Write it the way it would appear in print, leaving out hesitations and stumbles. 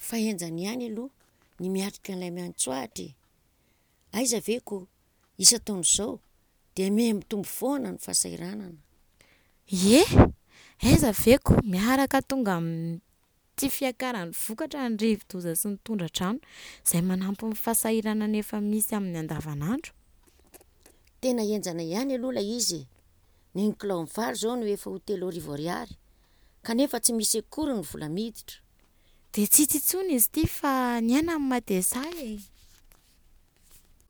Fa henjana ihany aloha ny miatrika an'ilay miantsoahitra e! Aiza ve ko isan-taona izao dia miha-mitombo foana ny fahasahiranana. Ie! Aiza ve ko miaraka tonga amin'ny fiakaran'ny vokatra ny rivo-doza sy ny tondra-drano izay manampy ny fahasahiranana efa misy amin'ny andavanandro. Tena henjana ihany aloha ilay izy e! Ny kilaon'ny vary izao no efa ho 3000 ariary, kanefa tsy misy akory ny vola miditra. Dia tsy hita intsony izy ity fa ny aina no mateza e!